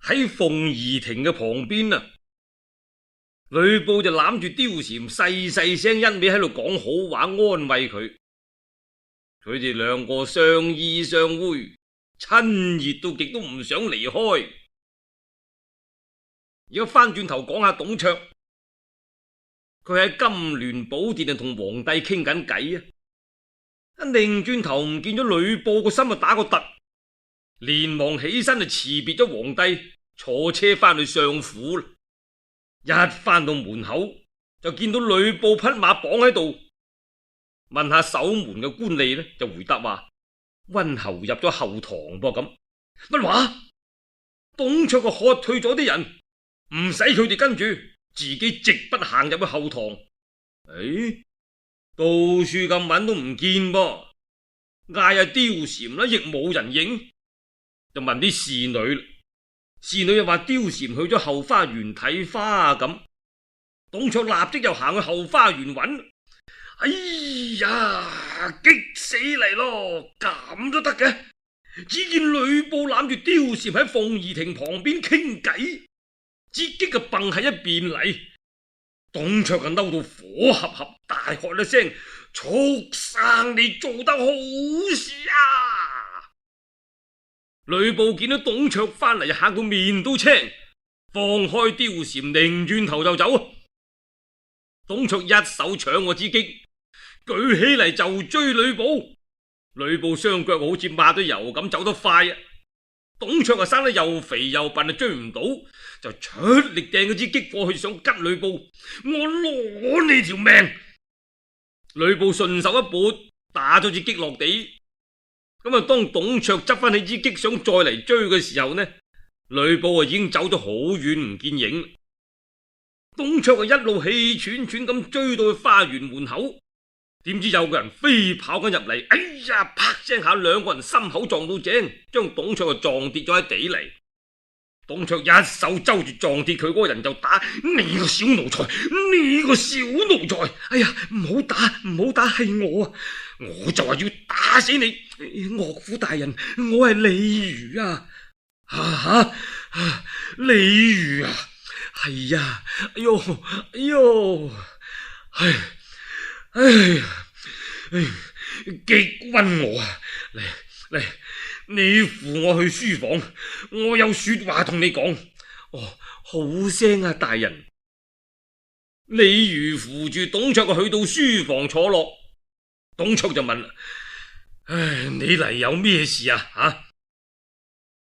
喺鳳儀亭嘅旁邊啊，呂布就攬住貂蟬細細聲一味喺度講好話安慰佢。佢哋兩個相依相偎，親熱到極都唔想離開。而家翻轉頭講下董卓，佢喺金鑾寶殿啊同皇帝傾緊偈啊，一擰轉頭唔見咗呂布，個心啊打個突，連忙起身就辭別咗皇帝，坐車翻去相府啦。一翻到門口就見到呂布匹馬綁喺度，問下守門嘅官吏呢，就回答話溫侯入咗後堂噃咁。乜話？董卓就喝退咗啲人，唔使佢哋跟住，自己直不行入去後堂。到處咁揾都唔見噃，嗌阿貂蟬啦，亦冇人應，就問啲侍女，侍女又話貂蟬去咗後花園睇花啊咁。董卓立即又行去後花園揾。哎呀，激死嚟咯！咁都得嘅？只見呂布攬住貂蟬喺鳳儀亭旁邊傾偈，自己嘅蹦喺一邊嚟。董卓就嬲到火合合，大喝一聲：畜生，你做得好事啊！呂布見到董卓翻嚟，嚇到面都青，放開貂蟬，擰轉頭就走。董卓一手搶過支戟，舉起嚟就追呂布。呂布雙腳好似抹咗油咁走得快啊！董卓啊生得又肥又笨啊，追唔到，就出力掟嗰支戟過去想吉呂布。我攞你條命！呂布順手一撥，打咗支戟落地。咁啊，當董卓執翻起支戟想再嚟追嘅時候呢，呂布啊已經走咗好遠唔見影。董卓啊一路氣喘喘咁追到去花園門口，點知有個人飛跑緊入嚟，哎呀，啪聲下兩個人心口撞到正，將董卓啊撞跌咗喺地嚟。董卓一手揪住撞跌佢嗰個人就打：你個小奴才，你個小奴才！哎呀，唔好打，唔好打，係我啊！我就話要打死你，岳父大人，我係李儒啊！李儒啊！係呀，哎呦，哎呦，激暈我啊！嚟，你扶我去書房，我有說話同你講。哦，好聲啊，大人。李儒扶住董卓去到書房坐落，董卓就問：你嚟有咩事啊？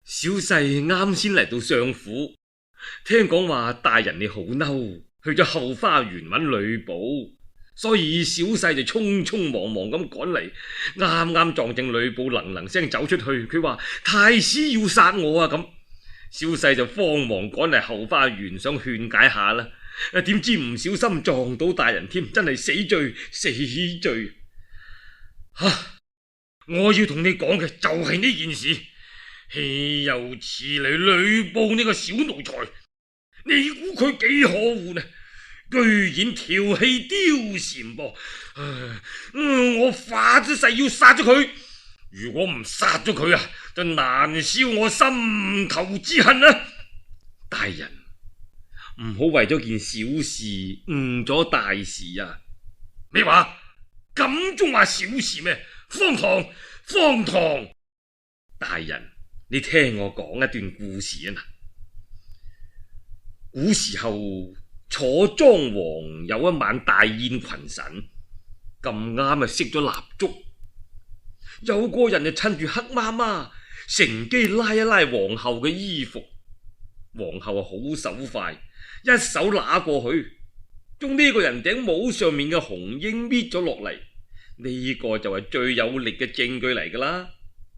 小婿啱先嚟到相府，聽講話大人你好嬲，去咗後花園揾呂布，所以小婿就匆匆忙忙咁趕嚟，啱啱撞正呂布能能聲走出去，佢話太師要殺我啊咁，小婿就慌忙趕嚟後花園想勸解下啦，點知唔小心撞到大人添，真係死罪死罪！我要同你講嘅就係呢件事，豈有此理！呂布呢個小奴才，你估佢幾可惡呢？居然調戲貂蟬噃！我發咗誓要殺咗佢，如果唔殺咗佢啊，就難消我心頭之恨啊！大人，唔好為咗件小事誤咗大事啊！咩話？咁仲話小事咩？荒唐！荒唐！大人，你聽我講一段故事啊！古時候，楚莊王有一晚大宴群臣，咁啱啊熄咗蠟燭，有個人就趁住黑媽媽，乘機拉一拉皇后嘅衣服，皇后好手快，一手拿過去，將呢個人頂帽上面嘅紅纓搣咗落嚟，呢個就係最有力嘅證據嚟噶啦。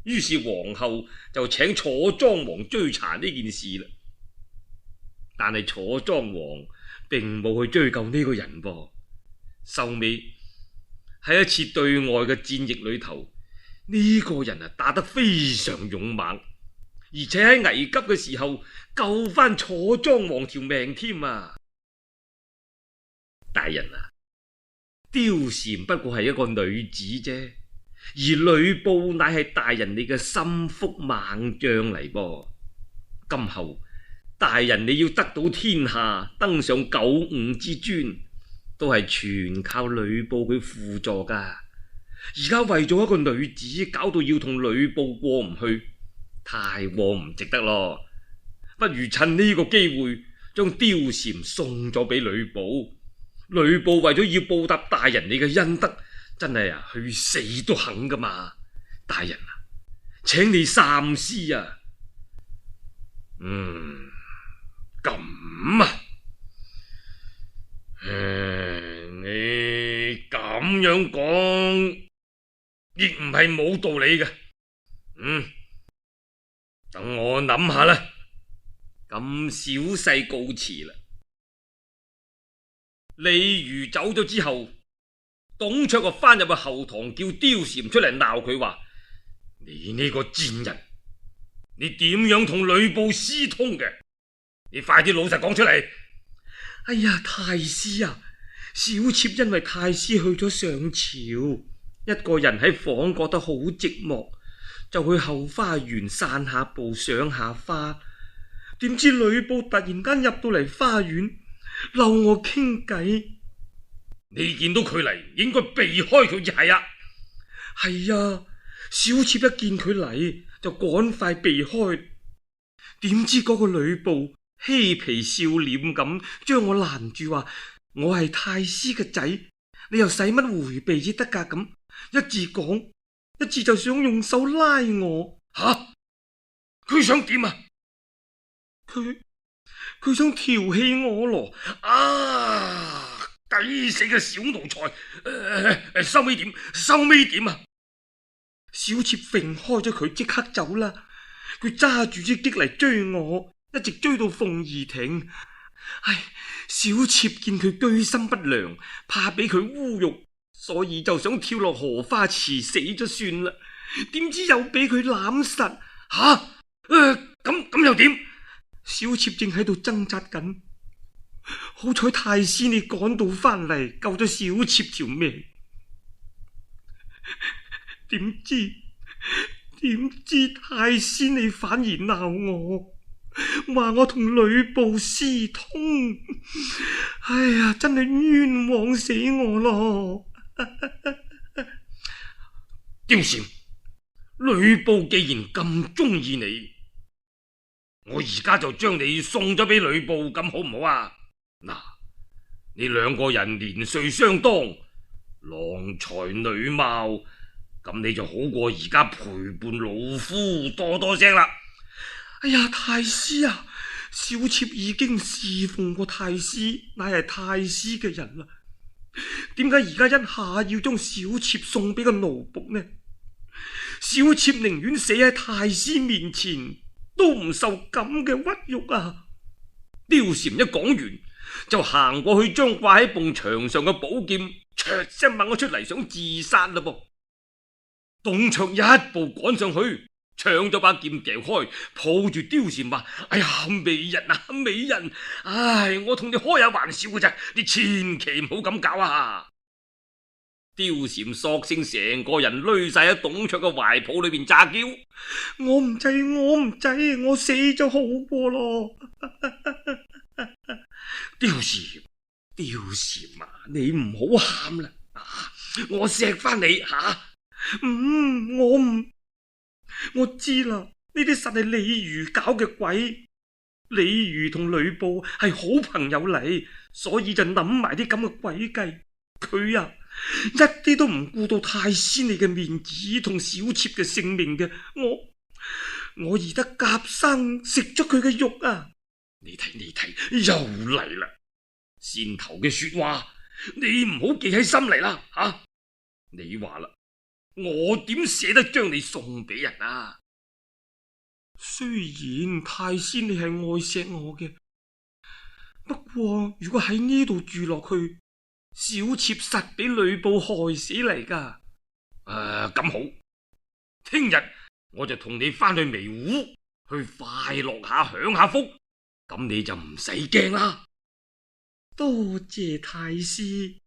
於是皇后就請楚莊王追查呢件事啦。但係楚莊王並冇去追究呢個人噃。收尾喺一次對外嘅戰役裏頭，呢個人啊打得非常勇猛，而且喺危急嘅時候救翻楚莊王條命添啊！大人啊，貂蟬不過係一個女子啫，而呂布乃係大人你嘅心腹猛將嚟噃。今後大人你要得到天下，登上九五之尊，都係全靠呂布佢輔助噶。而家為咗一個女子，搞到要同呂布過唔去，太過唔值得咯。不如趁呢個機會，將貂蟬送咗俾呂布。呂布為咗要報答大人你嘅恩德，真係去死都肯噶嘛。大人啊，請你三思啊。咁啊，你咁樣講亦唔係冇道理嘅。等我諗下啦。咁小婿告辭啦。李儒走咗之後，董卓就翻入去後堂，叫貂蟬出嚟鬧佢話：你呢個賤人，你點樣同呂布私通嘅？你快啲老實講出嚟！哎呀，太師啊，小妾因為太師去咗上朝，一個人喺房覺得好寂寞，就去後花園散下步，賞下花。點知呂布突然間入到嚟花園，溜我傾偈。你見到佢嚟，應該避開佢至係啊。係啊，小妾一見佢嚟就趕快避開。點知嗰個呂布嬉皮笑臉咁將我攔住，話我係太師嘅仔，你又使乜回避至得噶？咁一字講，一字就想用手拉我。吓，佢想點啊？佢想調戲我咯。啊，抵死嘅小奴才！收尾點？收尾點啊？小妾揈開咗佢，即刻走啦。佢揸住支戟嚟追我，一直追到鳳儀亭。唉，小妾見佢居心不良，怕俾佢侮辱，所以就想跳落荷花池死咗算啦。點知又俾佢攬實。吓，咁又點？小妾正喺度掙扎緊，好彩太師你趕到翻嚟，救咗小妾條命。點知太師你反而鬧我，話我同呂布私通。哎呀，真係冤枉死我咯！貂蟬，呂布既然咁中意你，我而家就將你送咗俾呂布，咁好唔好啊？嗱，你兩個人年歲相當，郎才女貌，咁你就好過而家陪伴老夫多多聲啦。哎呀，太師啊，小妾已經侍奉過太師，乃係太師嘅人啦。點解而家一下要將小妾送俾個奴僕呢？小妾寧願死喺太師面前，都唔受咁嘅屈辱啊！貂蟬一講完，就行過去將掛喺埲牆上嘅寶劍唰聲掹咗出嚟，想自殺啦噃。董卓一步趕上去，搶咗把劍掉開，抱住貂蟬話：哎呀，美人啊，美人！唉，我同你開下玩笑嘅咋，你千祈唔好咁搞啊！貂蟬索性成個人累晒喺董卓嘅懷抱裏邊詐嬌：我唔制，我死咗好過咯！貂蟬啊，你唔好喊啦，我錫翻你吓。我知啦，呢啲實係李儒搞嘅鬼。李儒同呂布係好朋友嚟，所以就諗埋啲咁嘅詭計。佢啊，一啲都唔顧到太師你嘅面子同小妾嘅性命嘅。我而得夾生食咗佢嘅肉啊！你睇又嚟啦！先頭嘅說話你唔好記喺心嚟啦吓！你話啦，我點捨得將你送俾人啊？雖然太師你係愛錫我嘅，不過如果喺呢度住落去，小妾實俾呂布害死嚟噶。咁好，聽日我就同你翻去微戶去快樂下享下福，咁你就唔使驚啦。多謝太師。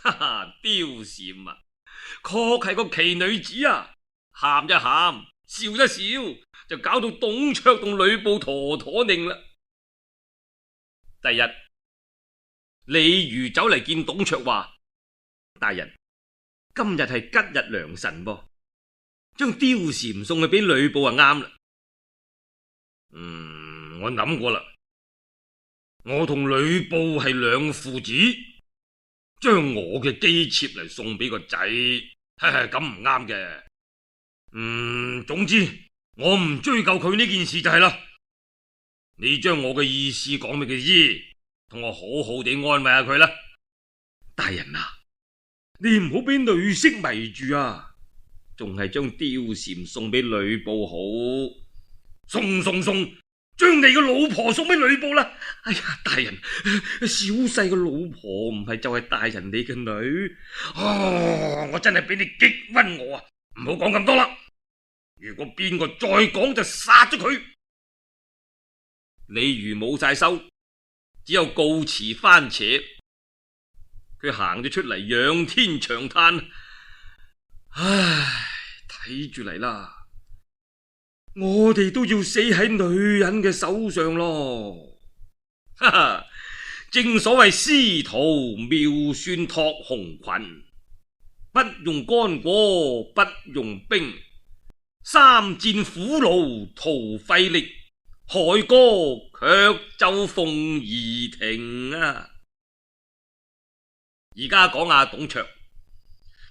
哈哈，貂蟬啊，確係個奇女子啊！喊一喊，笑一笑，就搞到董卓同呂布妥妥擰啦。第日，李儒走嚟見董卓話：大人，今日係吉日良辰噃，將貂蟬送去俾呂布就啱啦。我諗過啦，我同呂布係兩父子，將我嘅姬妾嚟送俾個仔，咁唔啱嘅。總之我唔追究佢呢件事就係啦。你將我嘅意思講俾佢知，同我好好地安慰下佢啦。大人啊，你唔好俾女色迷住啊，仲係將貂蟬送俾呂布好。送，將你個老婆送俾呂布啦。哎呀，大人，小婿個老婆唔係就係大人你嘅女。我真係俾你激暈我啊！唔好講咁多啦，如果邊個再講就殺咗佢。李儒冇晒收，只有告辭番扯。佢行咗出嚟，仰天長嘆：唉，睇住嚟啦，我哋都要死喺女人嘅手上咯。哈哈，正所謂司徒妙算托紅裙，不用干果不用兵，三戰苦勞徒費力，凱歌卻奏鳳儀亭啊！而家講下董卓，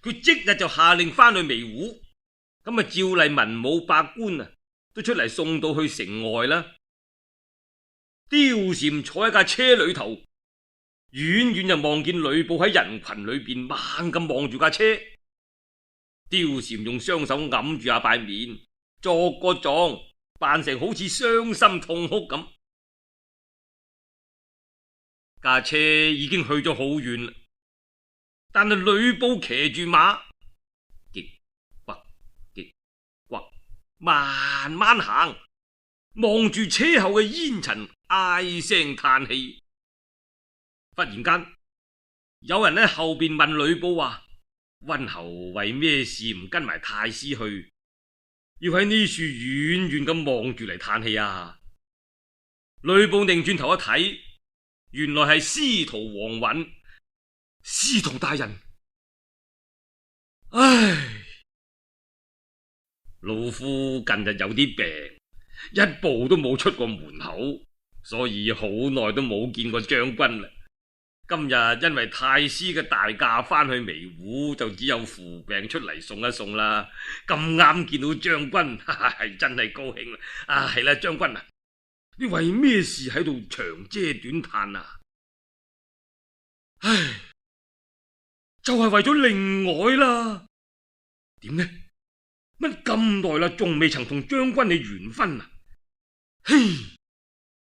佢即日就下令翻去微戶，咁照例文武百官啊都出嚟送到去城外啦。貂蟬坐喺架車裏頭，遠遠就望見呂布喺人群裏邊猛咁望住架車。貂蟬用雙手揞住下塊面，作個狀，扮成好似傷心痛哭咁。架車已經去咗好遠啦，但係呂布騎住馬，極呱，慢慢行，望住車後嘅煙塵，唉聲嘆氣。忽然間，有人喺後邊問呂布話：溫侯為咩事唔跟埋太師去，要喺呢處遠遠咁望住嚟嘆氣啊？呂布擰轉頭一睇，原來係司徒王允。司徒大人，唉，老夫近日有啲病，一步都冇出過門口，所以好耐都冇見過將軍啦。今日因為太師嘅大駕翻去微戶，就只有扶病出嚟送一送啦。咁啱見到將軍，係真係高興啦。係啦，將軍啊，你為咩事喺度長嗟短嘆啊？唉，就係為咗令外啦。點呢？乜咁耐啦，仲未曾同將軍你完婚啊？嘿，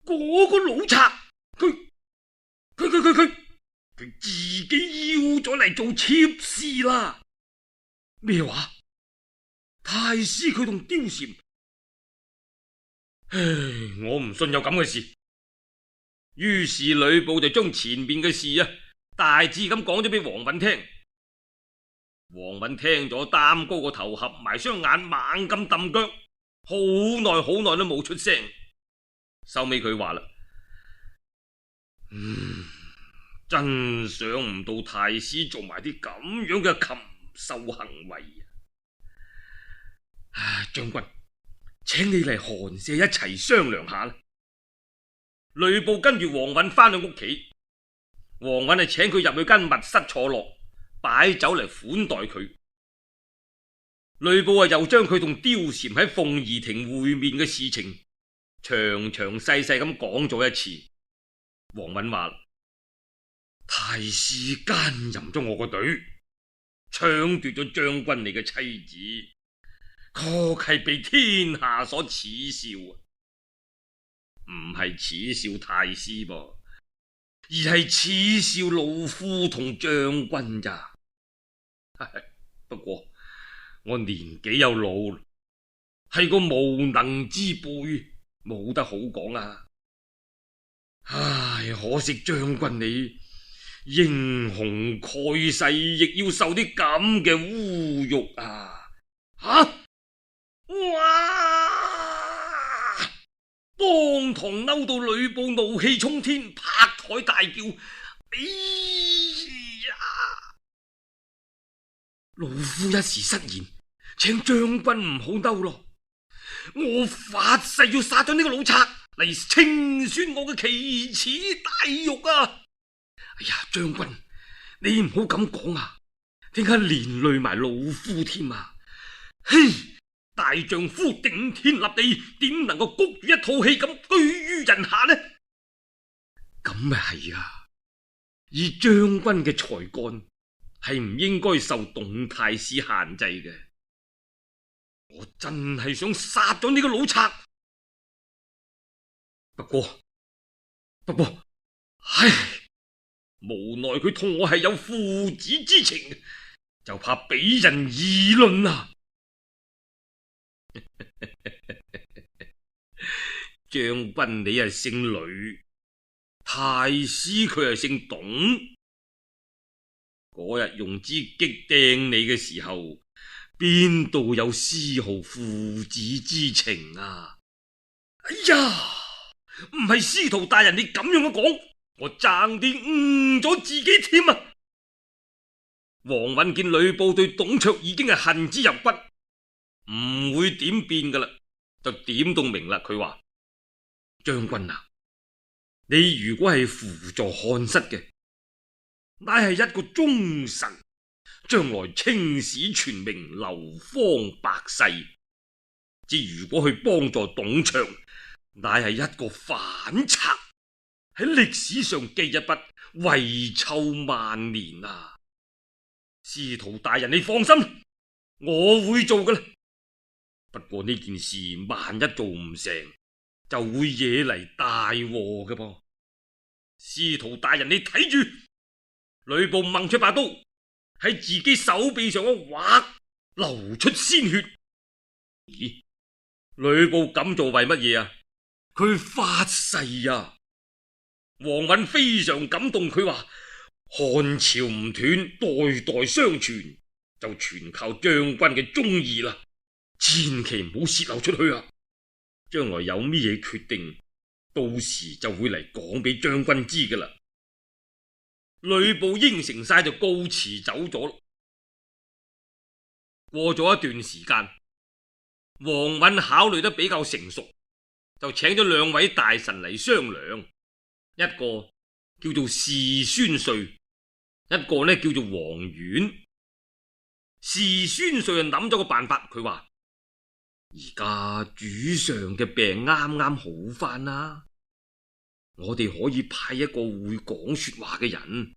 嗰個老賊，佢自己要咗嚟做妾侍啦。咩話？太師佢同貂蟬？唉，我唔信有咁嘅事。於是呂布就將前面嘅事大致咁講咗俾王允聽。王允聽咗，擔高個頭，合埋雙眼，猛咁揼腳，好耐都冇出聲。收尾佢話啦：真想唔到太師做埋啲咁樣嘅禽獸行為啊！將軍，請你嚟寒舍一齊商量下啦。呂布跟住王允翻去屋企，王允係請佢入去間密室坐落，擺酒嚟款待佢。呂布又將佢同貂蟬喺鳳儀亭會面嘅事情詳細咁講咗一次。王允話：太師奸淫咗我個隊，搶奪咗將軍你嘅妻子，確係被天下所恥笑啊！唔係恥笑太師噃，而係恥笑老夫同將軍咋。不過我年紀又老，係個無能之輩，冇得好講啊！唉，可惜將軍你英雄蓋世，亦要受啲咁嘅侮辱啊！哇！當堂嬲到呂布怒氣沖天，拍台大叫：哎呀！老夫一時失言，請將軍唔好嬲咯。我發誓要殺咗呢個老賊嚟清算我嘅奇恥大辱啊！哎呀，將軍，你唔好咁講啊，點解連累埋老夫添啊？嘿，大丈夫頂天立地，點能夠谷住一套氣咁居於人下呢？咁咪係啊！以將軍嘅才幹，係唔應該受董太師限制嘅。我真係想殺咗呢個老賊，不過，唉，無奈佢同我係有父子之情，就怕俾人議論啊！將軍你係姓呂，太師佢係姓董。嗰日用支戟掟你嘅時候，邊度有絲毫父子之情啊？哎呀，唔係司徒大人你咁樣嘅講，我爭啲誤咗自己添啊！王允見呂布對董卓已經係恨之入骨，唔會點變噶啦，就點到明啦。佢話：將軍啊，你如果係輔助漢室嘅，乃係一個忠臣，將來青史全名，流芳百世；之如果去幫助董卓，乃係一個反賊，喺歷史上記一筆，遺臭萬年啊！司徒大人你放心，我會做噶啦。不過呢件事萬一做唔成，就會惹嚟大禍嘅噃。司徒大人你睇住。呂布掹出把刀，喺自己手臂上一劃，流出鮮血。咦？呂布咁做為乜嘢啊？佢發誓啊！王允非常感動，佢話：漢朝唔斷，代代相傳，就全靠將軍嘅忠義啦。千祈唔好洩漏出去啊！將來有咩嘢決定，到時就會嚟講俾將軍知噶啦。呂布應承晒就告辭走咗。過咗一段時間，王允考慮得比較成熟，就請咗兩位大臣嚟商量，一個叫做士孫帥，一個呢叫做王遠。士孫帥就諗咗個辦法，佢話：而家主上嘅病啱啱好翻啦，我哋可以派一個會講說話嘅人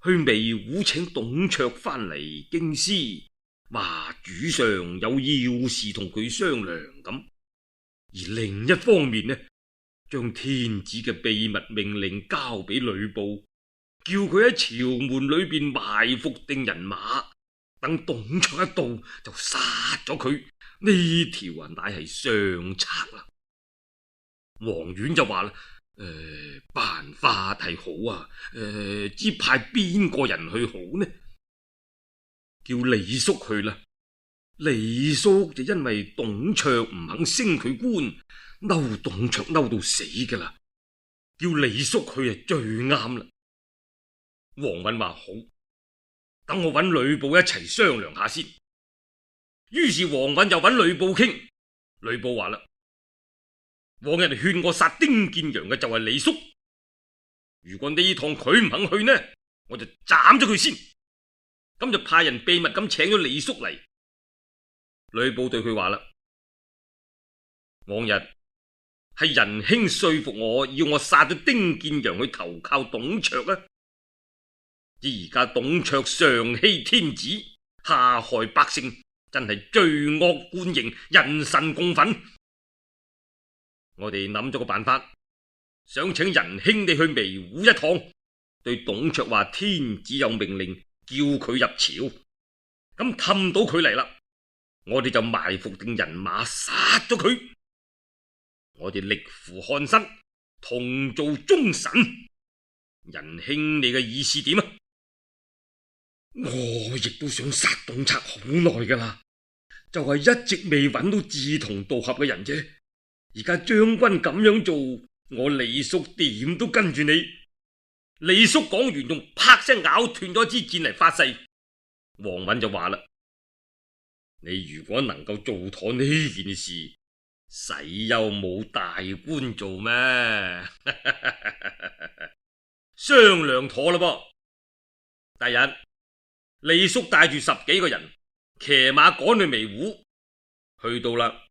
去微湖請董卓翻嚟京師，話主上有要事同佢商量咁。而另一方面呢，將天子嘅秘密命令交俾呂布，叫佢喺朝門裏邊埋伏定人馬，等董卓一到就殺咗佢。呢條乃係上策啦。王遠就話啦：辦法係好啊，只派邊個人去好呢？叫李肅去啦。李肅就因為董卓唔肯升佢官，嬲董卓嬲到死噶啦，叫李肅去係最啱啦。王允話好，等我揾呂布一齊商量下先。於是王允又揾呂布傾，呂布話啦：往日勸我殺丁建陽嘅就係李肅，如果呢趟佢唔肯去呢，我就斬咗佢先。咁就派人秘密咁請咗李肅嚟。呂布對佢話啦：往日係仁兄說服我，要我殺咗丁建陽去投靠董卓啊！而家董卓上欺天子，下害百姓，真係罪惡貫盈，人神共憤。我哋諗咗個辦法，想請仁兄你去微湖一趟，對董卓話天子有命令，叫佢入朝。咁氹到佢嚟啦，我哋就埋伏定人馬殺咗佢。我哋力扶漢室，同做忠臣。仁兄你嘅意思點啊？我亦都想殺董卓好耐噶啦，就係一直未揾到志同道合嘅人啫。而家將軍咁樣做，我李叔點都跟住你。李叔講完，仲啪聲咬斷咗支箭嚟發誓。王允就話啦：你如果能夠做妥呢件事，使又冇大官做咩？商量妥啦噃。第日李叔帶住10幾個人騎馬趕去微湖，去到啦，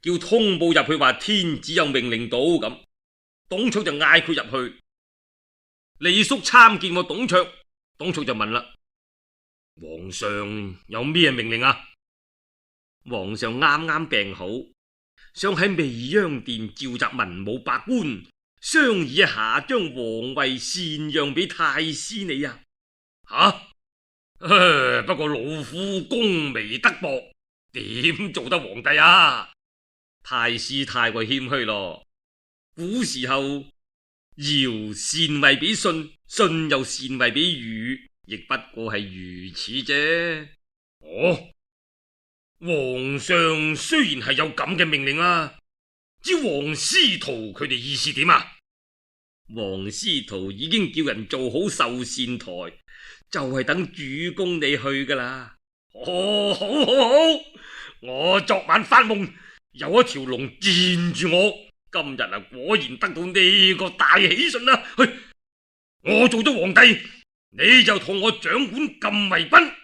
叫通報入去話天子有命令到咁。董卓就嗌佢入去。李叔參見過董卓，董卓就問啦：皇上有咩命令啊？皇上啱啱病好，想喺未央殿召集文武百官商議一下，將皇位禪讓俾太師你啊！不過老夫功微德薄，點做得皇帝啊？太師太過謙虛咯。古時候堯禪位俾舜，舜又禪位俾禹，亦不過係如此啫。皇上雖然係有咁嘅命令啊，知王司徒佢哋意思點啊？王司徒已經叫人做好壽膳台，就係等主公你去噶啦。好，我昨晚發夢有一條龍纏住我，今日啊果然得到呢個大喜訊啦。我做咗皇帝，你就同我掌管禁衛軍，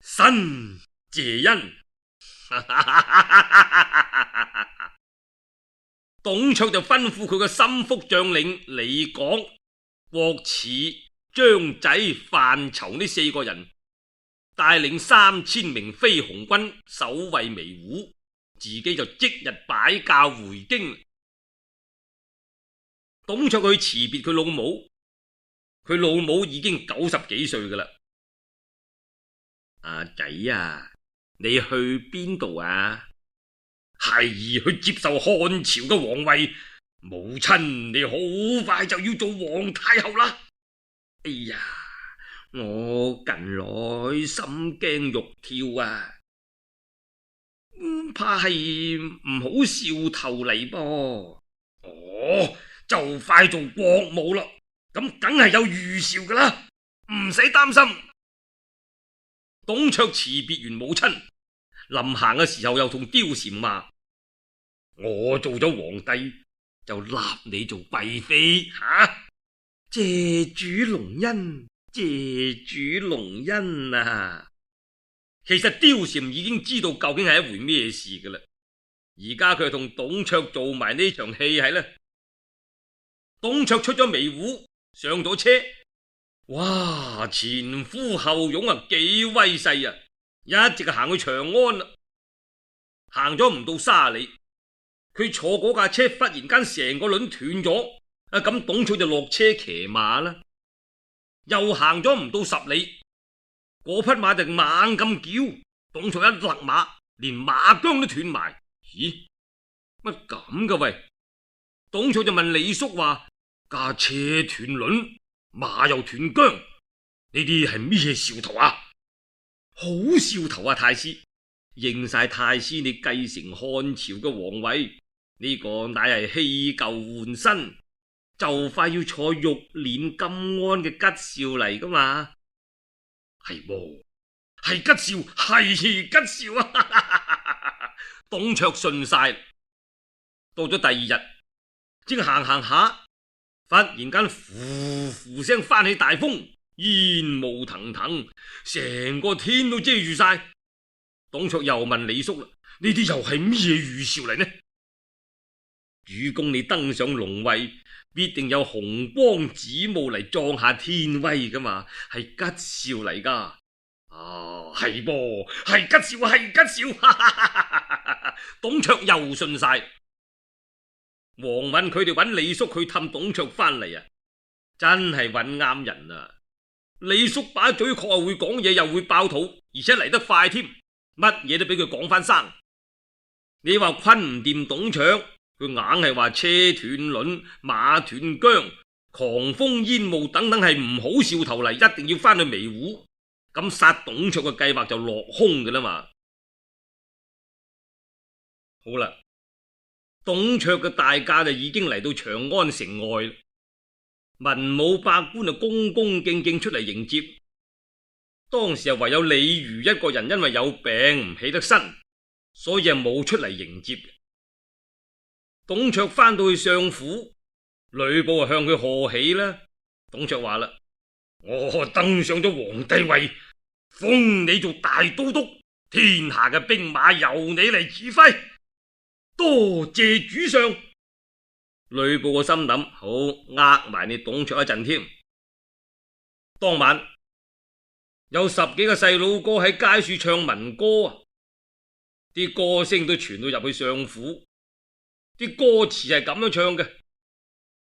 臣謝恩。董卓就吩咐佢個心腹將領李廣、郭汜、張濟、范疇呢4個人，帶領3000名飛鴻軍守衛微湖，自己就即日擺駕回京。董卓去辭別佢老母，佢老母已經90幾歲噶啦。阿仔啊，你去邊度啊？孩兒去接受漢朝嘅皇位。母親，你好快就要做皇太后啦。哎呀，我近來心驚肉跳啊，怕係唔好兆頭嚟噃。就快做國母啦，咁梗係有預兆噶啦，唔使擔心。董卓辭別完母親，臨行嘅時候又同貂蟬話：我做咗皇帝就立你做貴妃吓。謝主隆恩，謝主隆恩啊！其實貂蟬已經知道究竟係一回咩事噶啦，而家佢同董卓做埋呢場戲係呢。董卓出咗微湖，上咗車，哇！前呼後擁啊，幾威勢啊！一直行去長安啦，行咗唔到30里，佢坐嗰架車忽然間成個輪斷咗，咁董卓就落車騎馬啦。又行咗唔到10里，嗰匹馬就猛咁叫，董卓一勒馬，連馬韁都斷埋。咦，乜咁噶喂？董卓就問李肅話：架車斷輪，馬又斷韁，呢啲係咩兆頭啊？好兆頭啊，太師！應晒太師你繼承漢朝嘅皇位，呢個乃係棄舊換新，就快要坐玉鏈金鞍嘅吉兆嚟噶嘛？係噃，係吉兆，係吉兆啊！董卓信晒。到咗第2日，正行下，忽然間呼呼聲翻起大風，煙霧騰騰，成個天都遮住晒。董卓又問李肅啦：呢啲又係咩預兆嚟呢？主公你登上龍位，必定有紅光紫霧嚟壯下天威噶嘛，係吉兆嚟噶。係噃，係吉兆，係吉兆。董卓又信晒。王允佢哋揾李肅去氹董卓翻嚟啊，真係揾啱人啊！李肅把嘴確係會講嘢，又會爆肚，而且嚟得快添，乜嘢都俾佢講翻生。你話昆唔掂董卓，佢硬係話車斷輪、馬斷韁、狂風煙霧等等係唔好兆頭嚟，一定要翻去微湖，咁殺董卓嘅計劃就落空㗎啦嘛。好啦。董卓嘅大駕就已經嚟到長安城外啦，文武百官就恭恭敬敬出嚟迎接。當時唯有李儒一個人因為有病唔起得身，所以冇出嚟迎接。董卓翻到去相府，呂布向佢賀喜啦。董卓話啦：我登上咗皇帝位，封你做大都督，天下嘅兵馬由你嚟指揮，多謝主上。呂布個心諗：好，呃埋你董卓一陣添。當晚有10幾個細佬哥喺街處唱民歌啊，啲歌聲都傳到入去相府。啲歌詞係咁樣唱嘅：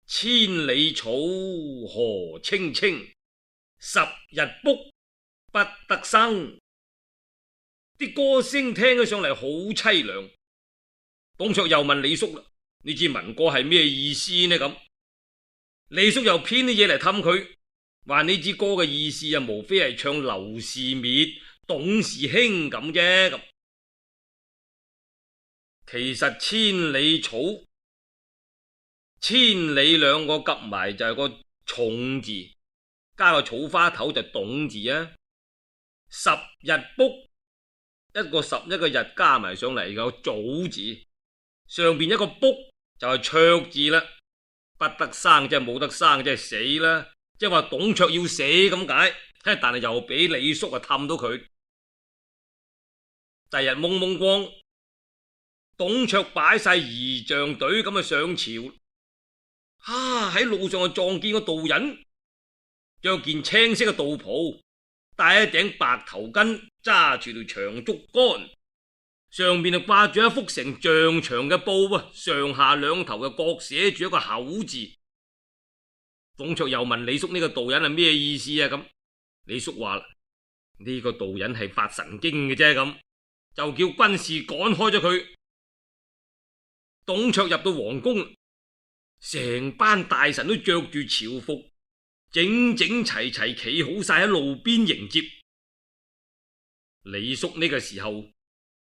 千里草何青青，10日卜不得生。啲歌聲聽起上嚟好淒涼。董卓又問李肅啦：呢支民歌係咩意思呢？咁李肅又編啲嘢嚟氹佢，話呢支歌嘅意思啊，無非係唱劉氏滅董氏興咁啫。咁其實千里草、千里兩個夾埋就係個重字，加個草花頭就董字啊。10日卜，一個11個日加埋上嚟個早字，上邊一個卜就係卓字啦。不得生即係冇得生，即係死啦，即係話董卓要死咁解。但係又俾李肅啊氹到佢。第日蒙蒙光，董卓擺晒儀仗隊咁啊上朝。喺路上就撞見個道人，着件青色嘅道袍，戴一頂白頭巾，揸住條長竹竿，上面就掛住一幅成丈長嘅布啊，上下兩頭就各寫住一個口字。董卓又問李肅：呢個道人係咩意思啊？咁李肅話啦：呢個道人係發神經嘅啫，咁就叫軍士趕開咗佢。董卓入到皇宮，成班大臣都着住朝服，整整齊齊企好晒喺路邊迎接。李肅呢個時候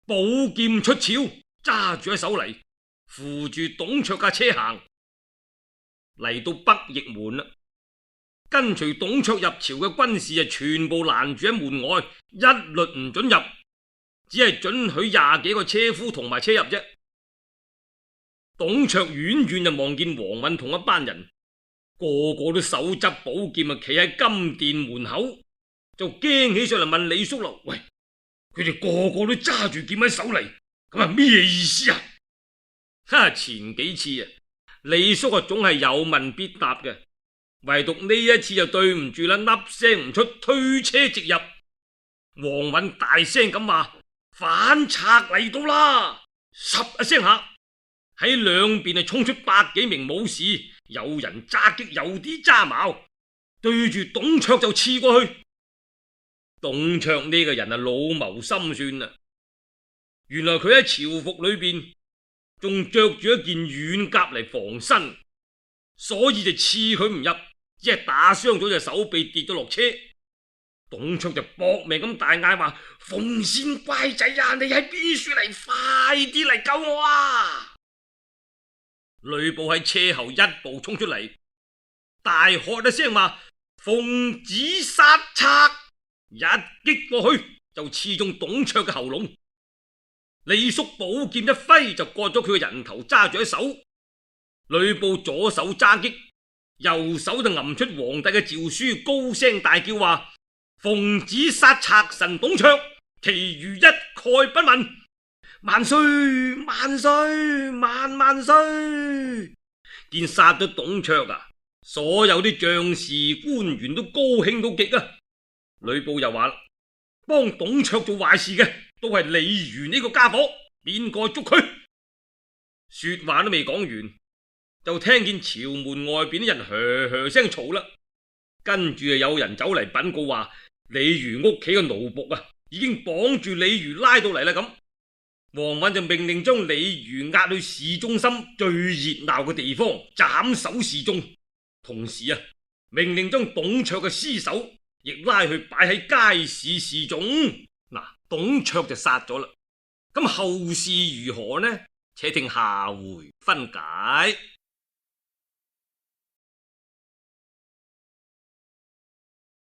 寶劍出鞘，揸住喺手嚟，扶住董卓架車行嚟到北翼門啦。跟隨董卓入朝嘅軍士全部攔住喺門外，一律唔准入，只係准許20幾個車夫同埋車入啫。董卓遠遠就望見王允同一班人，個個都手執寶劍啊，企喺金殿門口，就驚起上嚟問李肅啦：喂，佢哋個個都揸住劍喺手嚟，咁係咩意思啊？前幾次啊，李肅啊總係有問必答嘅，唯獨呢一次就對唔住啦，粒聲唔出，推車直入。王允大聲咁話：反賊嚟到啦！十一聲下，喺兩邊衝出100幾名武士，有人揸戟，有啲揸矛，對住董卓就刺過去。董卓呢個人老謀深算啦，原來佢喺朝服裏邊仲着住一件軟甲嚟防身，所以就刺佢唔入，只係打傷咗隻手臂，跌咗落車。董卓就搏命咁大嗌話：鳳仙乖仔啊，你喺邊處嚟？快啲嚟救我啊！呂布喺車後一步衝出嚟，大喝一聲話：奉旨殺賊！一擊過去就刺中董卓嘅喉嚨。李肅寶劍一揮就割咗佢嘅人頭，揸住喺手。呂布左手揸戟，右手就揞出皇帝嘅詔書，高聲大叫話：奉旨殺賊神董卓，其餘一概不問。萬歲萬歲萬萬歲！見殺咗董卓啊，所有啲將士官員都高興到極啊！呂布又話：幫董卓做壞事嘅都係李儒呢個家伙，邊個捉佢？說話都未講完，就聽見朝門外邊啲人噓噓聲嘈啦。跟住有人走嚟稟告話：李儒屋企嘅奴僕啊，已經綁住李儒拉到嚟啦。咁王允就命令將李儒押去市中心最熱鬧嘅地方斬首示眾，同時啊，命令將董卓嘅屍首亦拉去擺喺街市示眾。嗱，董卓就殺咗啦，咁後事如何呢？且聽下回分解。